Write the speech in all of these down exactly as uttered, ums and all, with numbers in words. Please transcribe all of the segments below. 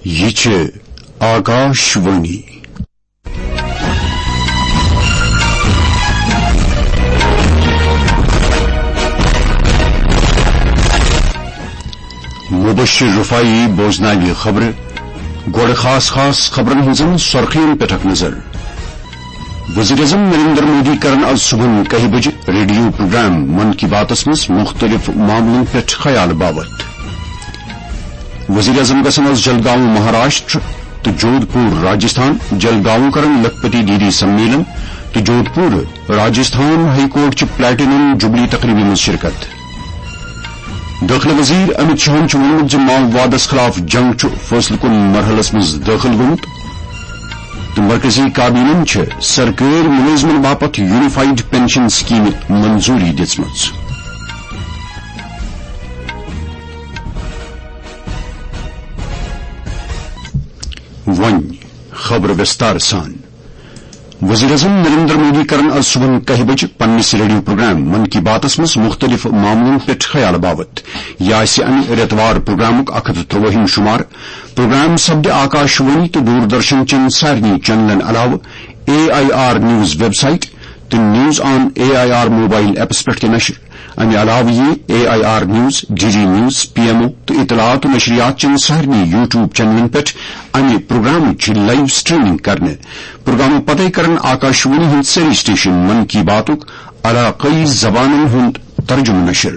یہِ چھِ آکاش وانی۔ مبشر رفاعی بوزناوِ خبرٕ۔ گۄڈٕ خاص خاص خبرن ہٕنٛزن سرخین پٮ۪ٹھ اکھ نظر۔ وزیر اعظم نریندر مودی کرن از صبحن کاہہِ بجہِ ریڈیو پروگرام من کی باتس منٛز مختلف معاملن پٮ۪ٹھ خیال باوت۔ وزیر اعظم گژھن از جلگاؤں مہاراشٹر تہٕ جودھ پور راجستھان، جلگاؤں کرن لکھپتی دیدی سمیلن تہٕ جودھ پور راجستھان ہائی کورٹ چہِ پلیٹینم جوبلی تقریبہِ منٛز شرکت۔ دٲخلہٕ وزیر امت شاہن چھُ ووٚنمُت زِ ماؤوادس خلاف جنگ چھُ فٲصلہٕ کُن مرحلس منٛز دٲخل گوٚمُت تہٕ مرکزی کابینن چھِ سرکٲرۍ مُلٲزمن باپتھ یونیفائیڈ پینشن سکیمہِ منظوٗری دِژمٕژ۔ وۄنۍ خبر وستار سان۔ وزیر اعظم نریندر مودی کرن از صبحن کاہہِ بجہِ پننِس ریڈیو پروگرام من کی باتس منٛز مختلف معاملن پٮ۪ٹھ خیال باوت۔ یہِ آسہِ امہِ رٮ۪توار پروگرامُک اکھ ہتھ تہٕ ترٛوٲہِم شمار۔ پروگرام سپدِ آکاش وانی تہٕ دوردرشن چٮ۪ن سارنٕے چینلن علاوٕ A I R news website تہٕ news on A I R mobile apps پٮ۪ٹھ تہِ نشر۔ امہِ علاوٕ یِیہِ A I R news, D D news, P M O تہٕ اطلاعات و نشریات چٮ۪ن سارنٕے یوٹیوب چینلن پٮ۪ٹھ امہِ پروگرامٕچ لائیو سٹریمنگ کرنہٕ۔ پروگرامہٕ پتے کرن آکاش وانی ہٕنٛدۍ سٲری سٹیشن من کی باتُک علاقٲیی زبانن ہُنٛد ترجمہٕ نشر۔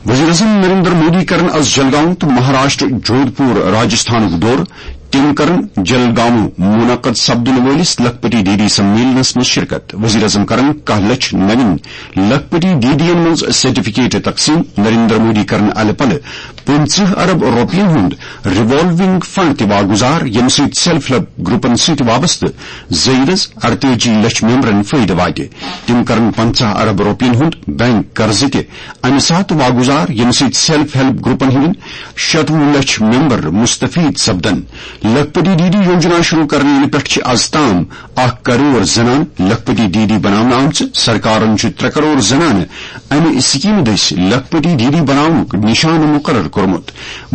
وزیر اعظم نریندر مودی کرن از جلگاؤں تہٕ مہاراشٹر جودھ پور راجستھانُک دورٕ۔ تِم کرن جلگاؤں منعقد سپدن وٲلِس لکھپتی دیدی سمیلنس منٛز شرکت۔ وزیر اعظم کرن کاہ لچھ نوین لکھپتی دیدین منٛز سرٹیفکیٹ تقسیم۔ نریندر مودی کرن الہٕ پلہٕ پٕنٛژٕہ ارب رۄپین ہُنٛد ریوالونگ فنڈ تہِ واگزار، ییٚمہِ سۭتۍ سیلف ہیلپ گروپن سۭتۍ وابستہٕ زٲیدس ارتٲجی لچھ ممبرن فٲیدٕ واتہِ۔ تِم کرن پنٛژاہ ارب رۄپین ہُنٛد بینک قرضہٕ تہِ امہِ ساتہٕ واگزار، ییٚمہِ سۭتۍ سیلف ہیلپ گروپن ہٕنٛدۍ شتوُہ لچھ ممبر مستفید سپدن۔ لکھپتی دیدی یوجنا شروع کرنہٕ یِنہٕ پٮ۪ٹھ چھِ از تام اکھ کرور زنانہٕ لکھپتی دیدی بناونہٕ آمژٕ۔ سرکارن چھُ ترٛےٚ کرور زنانہٕ امہِ سکیمہٕ دٔسۍ لکھپتی دیدی بناونُک نشانہٕ مقرر کوٚرمُت۔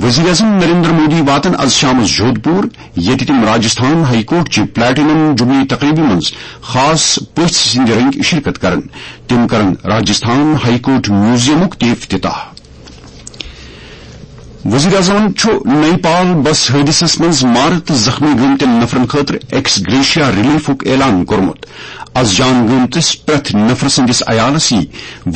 وزیر اعظم نریندر مودی واتن از شامس جودھ پور، ییٚتہِ تِم راجستھان ہائی کورٹ چہِ پلیٹینم جوبلی تقریبہِ منٛز خاص پٔژھۍ سٕنٛدِ رٔنگۍ شرکت کرن۔ تِم کرن راجستھان ہائی کورٹ میوزیمُک تہِ افتتاح۔ وزیر اعظمن چھُ نیپال بس حٲدثس منٛز مارٕ تہٕ زخمی گٔمتٮ۪ن نفرن خٲطرٕ ایکس گریشیا ریلیفُک اعلان کوٚرمُت۔ از جان گٔمتِس پرٛٮ۪تھ نفرٕ سٕنٛدِس عیالس یی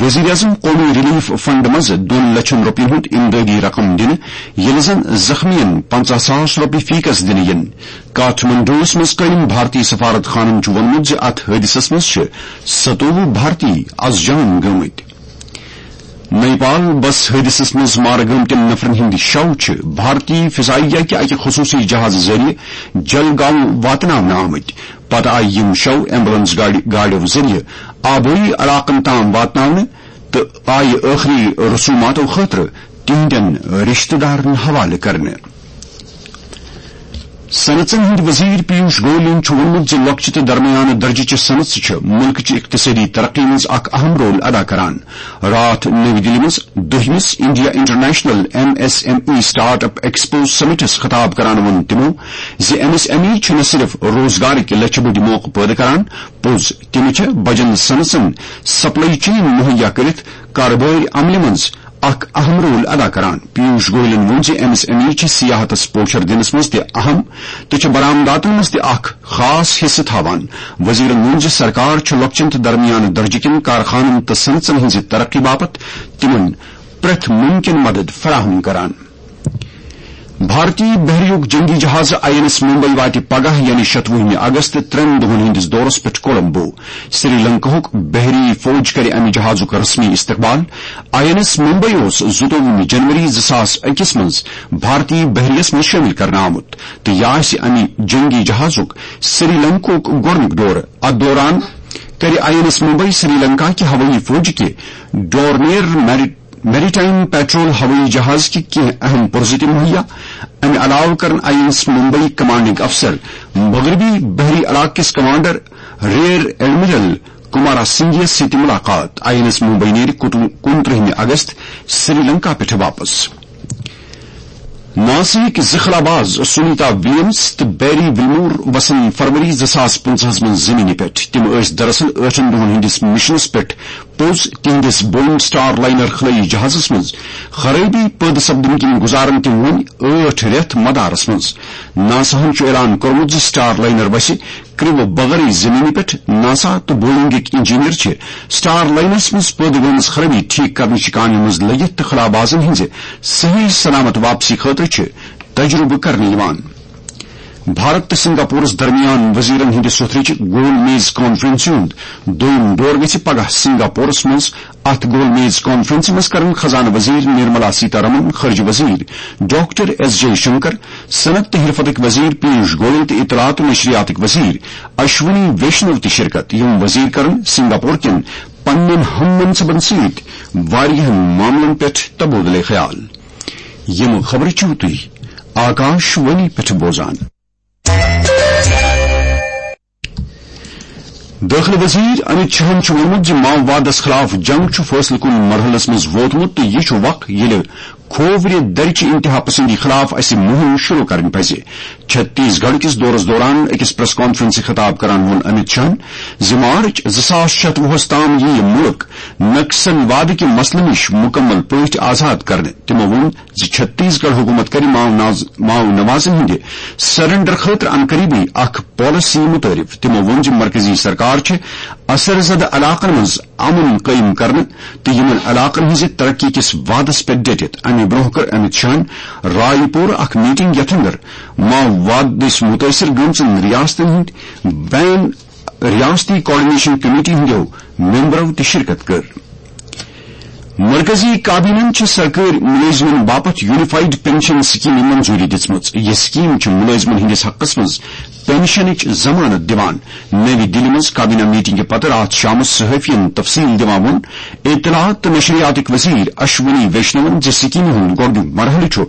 وزیر اعظم قومی ریلیف فنڈ منٛز دۄن لچھن رۄپین ہُنٛد امدادی رقم دِنہٕ، ییٚلہِ زن زخمین پنٛژاہ ساس رۄپیہِ فیکس دِنہٕ یِن۔ کاٹھمنڈوس منٛز قٲیِم بھارتی سفارت خانن چھُ ووٚنمُت زِ اتھ حٲدثس منٛز چھِ ستووُہ بھارتی از جان گٔمٕتۍ۔ نیپال بس حٲدثس منٛز مارٕ گٔمتٮ۪ن نفرن ہٕنٛدۍ شو چھِ بھارتی فضائیہ کہِ اکہِ خصوٗصی جہازٕ ذٔریعہٕ جلگاؤں واتناونہٕ آمٕتۍ۔ پتہٕ آیہِ یِم شو ایمبولینس گاڑِ، گاڑیو ذٔریعہٕ آبٲیی علاقن تام واتناونہٕ تہٕ آیہِ ٲخری رسوماتو خٲطرٕ تِہنٛدٮ۪ن رشتہٕ دارن حوالہٕ کرنہٕ۔ صنعژن ہٕنٛدۍ وزیر پیوش گویلن چھُ ووٚنمُت زِ لۄکچہِ تہٕ درمیانہٕ درجہٕ چہِ صنعژٕ چھِ مُلکٕچہِ اقتصٲدی ترقی منٛز اکھ اہم رول ادا کران۔ راتھ نٔوۍ دِلہِ منٛز دٔہمِس India international M S M E startup expo سمٹس خطاب کران ووٚن تِمو زِ ایم ایس ایم ای چھِ نہ صرف روزگارٕکۍ لچھِ بٔدۍ موقعہٕ پٲدٕ کران، پوٚز، تِم چھِ بجن صنعژن سپلائی چین مہیا کٔرِتھ کارٕبٲرۍ عملہِ منٛز اکھ اہم رول ادا کران۔ پیوش گویلن ووٚن زِ ایم ایس ایم ای چھِ سیاحتس پوچھر دِنس منٛز تہِ اہم تہٕ چھِ برآمداتن منٛز تہِ اکھ خاص حصہٕ تھاوان۔ وزیرن ووٚن زِ سرکار چھِ لۄکچٮ۪ن تہٕ درمیانہٕ درجہٕ کٮ۪ن کارخانن تہٕ صنعژن ہٕنٛزِ ترقی باپتھ تِمن پرٛٮ۪تھ مُمکِن مدد فراہم کران۔ بھارتی بحریُک جنگی جہاز آئی این ایس ممبئی واتہِ پگاہ، یعنی شتوُہمہِ اگست، ترٛٮ۪ن دۄہن ہٕنٛدِس دورس پٮ۪ٹھ کولمبو۔ سری لنکاہُک بحری فوج کرِ امہِ جہازُک رسمی استقبال۔ آئی این ایس ممبئی اوس زٕتووُہمہِ جنوری زٕ ساس أکِس منٛز بھارتی بحریس منٛز شٲمِل کرنہٕ آمُت تہٕ یہِ آسہِ امہِ جنگی جہازُک سری لنکاہُک گۄڈٕنیُک دورٕ۔ اتھ دوران کرِ I N S Mumbai Sri Lanka کہِ ہوٲیی فوج کہِ ڈورنیر میری میری ٹائم پیٹرول ہوٲیی جہاز کہِ کینٛہہ اہم پرزٕ تہِ مہیا۔ امہِ علاوٕ کرن I N S Mumbai commanding افسر مغربی بحری علاقہٕ کِس commander rear admiral Kumara Singh یس سۭتۍ ملاقات۔ آئی این ایس ممبئی نیرِ کُنترٕہمہِ اگست سری لنکا پٮ۪ٹھٕ واپس۔ ناساہٕکۍ زٕ خلاباز سنیتا ولیمز تہٕ بیری ولمور وسن فروری زٕ ساس پٕنٛژٕہس منٛز زمینہِ پٮ۪ٹھ۔ تِم ٲسۍ دراصل ٲٹھن دۄہن ہٕنٛدِس مشنس پٮ۪ٹھ پوٚز۔ تِہنٛدِس بوئنگ سٹار لائنر خلٲیی جہازس منٛز خرٲبی پٲدٕ سپدنہٕ کِنۍ گُزارن تِم وۄنۍ ٲٹھ رٮ۪تھ مدارس منٛز۔ ناساہن چھُ اعلان کوٚرمُت زِ سٹار لائنر وسہِ کرٛیوٗ بغٲرٕے زمینہِ پٮ۪ٹھ۔ ناسا تہٕ بوئنگٕکۍ انجینئر چھِ سٹار لائنرس منٛز پٲدٕ گٔمٕژ خرٲبی ٹھیک کرنٕچہِ کامہِ منٛز لٔگِتھ تہٕ خلابازن ہٕنٛزِ صحیح سلامت واپسی خٲطرٕ چھِ تجربہٕ کرنہٕ یِوان۔ بھارت تہٕ سنگاپورس درمیان وزیرن ہٕنٛدِ سوٚتھرٕچ گول میز کانفرنسہِ ہُنٛد دوٚیُم دور گژھِ پگاہ سنگاپورس منٛز۔ اتھ گول میز کانفرنسہِ منٛز کرن خزانہٕ وزیر نرملا سیتارمن، خارجہ وزیر ڈاکٹر ایس جے شنکر، صنعت تہٕ حرفتٕکۍ وزیر پیوش گوئل تہٕ اطلاعات و نشریاتٕکۍ وزیر اشونی ویشنو تہِ شرکت۔ یِم وزیر کرن سنگاپور کٮ۪ن پننٮ۪ن ہم منصبن سۭتۍ واریاہن معاملن پٮ۪ٹھ تبادلہ خیال۔ یِم خبرٕ چھِو تُہۍ آکاش وانی پٮ۪ٹھ بوزان۔ دٲخلہٕ وزیر امت شاہن چھُ ووٚنمُت زِ ماؤوادس خلاف جنگ چھُ فٲصلہٕ کُن مرحلس منٛز ووتمُت تہٕ یہِ چھُ وق، ییٚلہِ کھوورِ درِ چہِ انتہا پسندی خلاف اسہِ مُہِم شروع کرٕنۍ پزِ۔ چھتیس گڑھ کِس دورس دوران أکِس پریس کانفرنسہِ خطاب کران ووٚن امت شاہن زِ مارچ زٕ ساس شتوُہس تام یِیہِ مُلک نکسل وادٕکہِ مسلہٕ نِش مُکمل پٲٹھۍ آزاد کرنہٕ۔ تِمو ووٚن زِ چھتیس گڑھ حکومت کرِ ماؤ ناز-، ماؤ نوازن ہٕنٛدِ سرنڈر خٲطرٕ عنقریبٕے اکھ پالیسی متعارف۔ تِمو ووٚن زِ مرکزی سرکار چھِ اثر زدٕ علاقن منٛز امن قٲیِم کرنہٕ تہٕ یِمن علاقن ہٕنٛزِ ترقی کِس وعدس پٮ۪ٹھ ڈٔٹِتھ۔ امہِ برٛونٛہہ کٔر امت شاہن راے پوٗرٕ اکھ میٹنگ، یتھ اندر ماؤواد دٔسۍ مُتٲثر گٔمژن ریاستن ہٕنٛدۍ بین ریاستی کوآرڈینیشن کمیٹی ہٕنٛدیو ممبرو تہِ شرکت کٔر۔ مرکزی کابینہن چھِ سرکٲرۍ مُلٲزمن باپتھ یونیفائیڈ پنشن سکیمہِ منظوری دِژمٕژ۔ یہِ سکیم چھِ مُلٲزمن ہٕنٛدِس حقس منٛز پنشنٕچ ضمانت دِوان۔ نَوِ دِلہِ منٛز کابینہ میٹنگہِ پتہٕ راتھ شامس صحافین تفصیل دِوان ووٚن اطلاعات تہٕ نشریاتٕکۍ وزیر اشونی ویشنون زِ سکیمہِ ہُنٛد گۄڈٕنیُک مرحلہٕ چھُ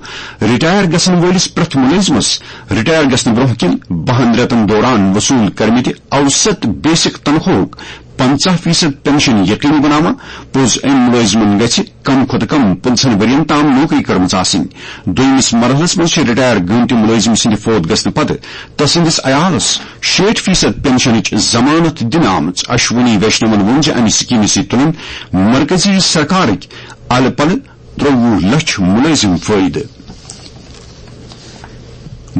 رٹائر گژھن وٲلِس پرٛٮ۪تھ مُلٲزمس رٹائر گژھنہٕ برٛونٛہہ کِنۍ بَہَن رٮ۪تن دوران وصوٗل کٔرمٕتہِ اوسط بیسک تنخواہُک پنژاہ فیصد پنشن یقینی بناوان۔ پوٚز، أمۍ مُلٲزمن گژھِ کم کھۄتہٕ کم پٕنٛژٕہن ؤرین تام نوکری کٔرمٕژ آسٕنۍ۔ دوٚیمِس مرحلس منٛز چھِ رٹائر گٔمتہِ مُلٲزم سٕنٛدِ فوت گژھنہٕ پتہٕ تسٕنٛدِس عیالس شیٹھ فیصد پنشنٕچ ضمانت دِنہٕ آمٕژ۔ اشونی ویشنون ووٚن زِ امہِ سکیمہِ سۭتۍ تُلن مرکزی سرکارٕکۍ الہٕ پلہٕ ترٛوٚوُہ لچھ مُلٲزم فٲیدٕ۔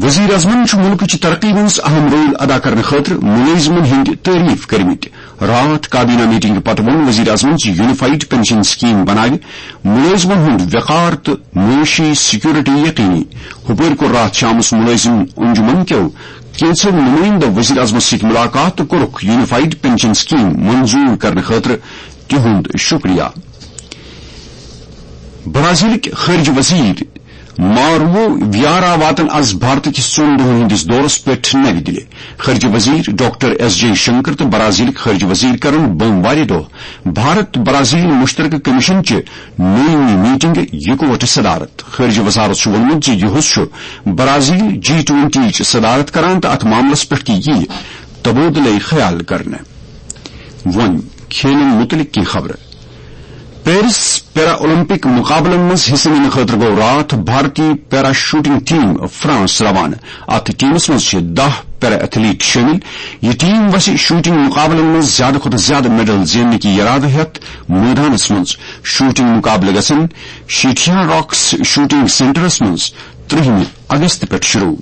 وزیر اعظمن چھُ مُلکٕچ ترقی منٛز اہم رول ادا کرنہٕ خٲطرٕ مُلٲزمن ہٕنٛدۍ تعریف کٔرمٕتۍ۔ راتھ کابینہ میٹنگ پتہٕ ووٚن وزیر اعظمن زِ یونیفائیڈ پنشن سکیم بناوِ مُلٲزمن ہُنٛد وقار تہٕ معاشی سیکورٹی یقینی۔ ہُپٲرۍ کوٚر راتھ شامس مُلٲزم انجمن کیو کینٛژو نُمٲیندو وزیر اعظمس سۭتۍ مُلاقات تہٕ کوٚرُکھ یونیفائیڈ پنشن سکیم منظور کرنہٕ خٲطرٕ تِہُنٛد شُکریہ۔ برازیلٕکۍ خارجہ وزیر مارو ویارا واتن از بھارت کِس ژۄن دۄہن ہٕنٛدِس دورس پٮ۪ٹھ نَوِ دِلہِ۔ خارجہ وزیر ڈاکٹر ایس جے شنکر تہٕ برازیلٕکۍ خارجہ وزیر کرن بوموارِ دۄہ بھارت برازیل مشترکہ کمیشن چہِ نوٚیمہِ میٹنگہِ یکوٹہٕ صدارت۔ خارجہ وزارت چھُ ووٚنمُت زِ یُہُس چھُ برازیل جی ٹوئنٹی چہِ صدارت کران تہٕ اتھ معاملس پٮ۪ٹھ تہِ یِیہِ تبادلہ خیال کرنہٕ۔ وۄنۍ کھیلن مُتعلق کینٛہہ خبرٕ۔ پیرس پیرا اولمپک مقابلن منٛز حصہٕ نِنہٕ خٲطرٕ گوٚو راتھ بھارتی پیرا شوٹنگ ٹیم فرانس روانہٕ۔ اتھ ٹیمس منٛز چھِ دَہ پیرا ایتھلیٹ شٲمِل۔ یہِ ٹیم وسہِ شوٹنگ مقابلن منٛز زیادٕ کھۄتہٕ زیادٕ میڈل زیننٕکہِ یرادٕ ہیتھ مٲدانس منٛز۔ شوٹنگ مقابلہٕ گژھن شیٹھیا راکس شوٹنگ سینٹرس منٛز ترٛہمہِ اگست پٮ۪ٹھ شروع۔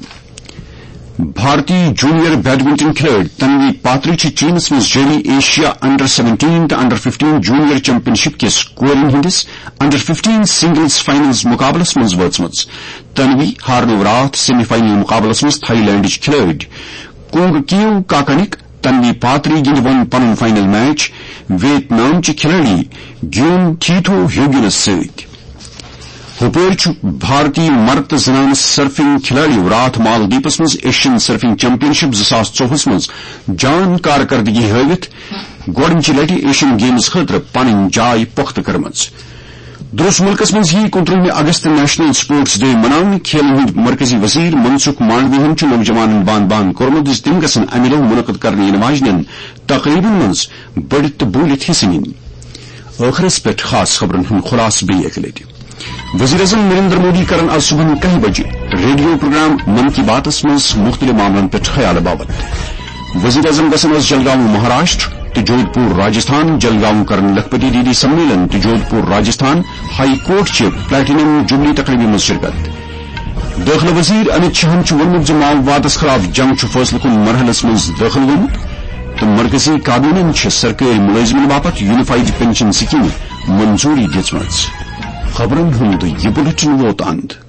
بھارتی جونیئر بیڈمنٹن کھلٲڑۍ تنوی پاتری چھِ چینس منٛز جٲری ایشیا انڈر سیونٹین تہٕ انڈر ففٹین جونیئر چیمپین شپ کِس کورٮ۪ن ہٕنٛدِس انڈر ففٹین سنگلز فائنلز مقابلس منٛز وٲژمٕژ۔ تنوی ہارنٲو راتھ سیمی فائنل مقابلس منٛز تھائی لینڈٕچ کھلٲڑۍ کونگ کیو کاکنک۔ تنوی پاتری گِنٛدِ وۄنۍ پنُن فائنل میچ ویت نام چہِ کھلٲڑی گیون تھیتھو ہیوگنس سۭتۍ۔ ہُپٲرۍ چھُ بھارتی مرد تہٕ زنانہٕ سرفنگ کھلٲڑیو راتھ مالدیپس منٛز ایشین سرفنگ چیمپین شپ زٕ ساس ژوٚوُہس منٛز جان کارکردگی ہٲوِتھ گۄڈٕنچہِ لٹہِ ایشین گیمز خٲطرٕ پنٕنۍ جاے پۄختہٕ کٔرمٕژ۔ درس مُلکس منٛز یِیہِ کُنترٛہمہِ اگست نیشنل سپورٹس ڈے مناونہٕ۔ کھیلن ہٕنٛدۍ مرکزی وزیر منسکھ مانڈویہن چھُ نوجوانن بانہٕ بانہٕ کوٚرمُت زِ تِم گژھن امہِ دۄہ منعقد کرنہٕ یِنہٕ واجنٮ۪ن تقریبن منٛز بٔڑِتھ تہٕ بوٗلِتھ حصہٕ نِنۍ۔ ٲخرس پٮ۪ٹھ خاص خبرن ہُنٛد خلاصہٕ بیٚیہِ اکہِ لٹہِ۔ وزیر اعظم نریندر مودی کرن آز صبحن کاہہِ بجہِ ریڈیو پروگرام من کی باتس منٛز مختلف معاملن پٮ۪ٹھ خیال باوت۔ وزیر اعظم گژھن آز جلگاؤں مہاراشٹر تہٕ جودھ پور راجستھان، جلگاؤں کرن لکھپتی دیدی سمیلن تہٕ جودھ پور راجستھان ہائی کورٹ چہِ پلیٹینم جوبلی تقریبہِ منٛز شرکت۔ دٲخلہٕ وزیر امت شاہن چھُ ووٚنمُت زِ ماؤوادس خلاف جنگ چھُ فٲصلہٕ کُن مرحلس منٛز دٲخل گوٚمُت تہٕ مرکزی کابینہن چھِ سرکٲرۍ مُلٲزمن باپتھ یونیفائیڈ پنشن سکیمہِ منظوری دِژمٕژ۔ خبرن ہُنٛد یہِ بُلٹن ووت اند۔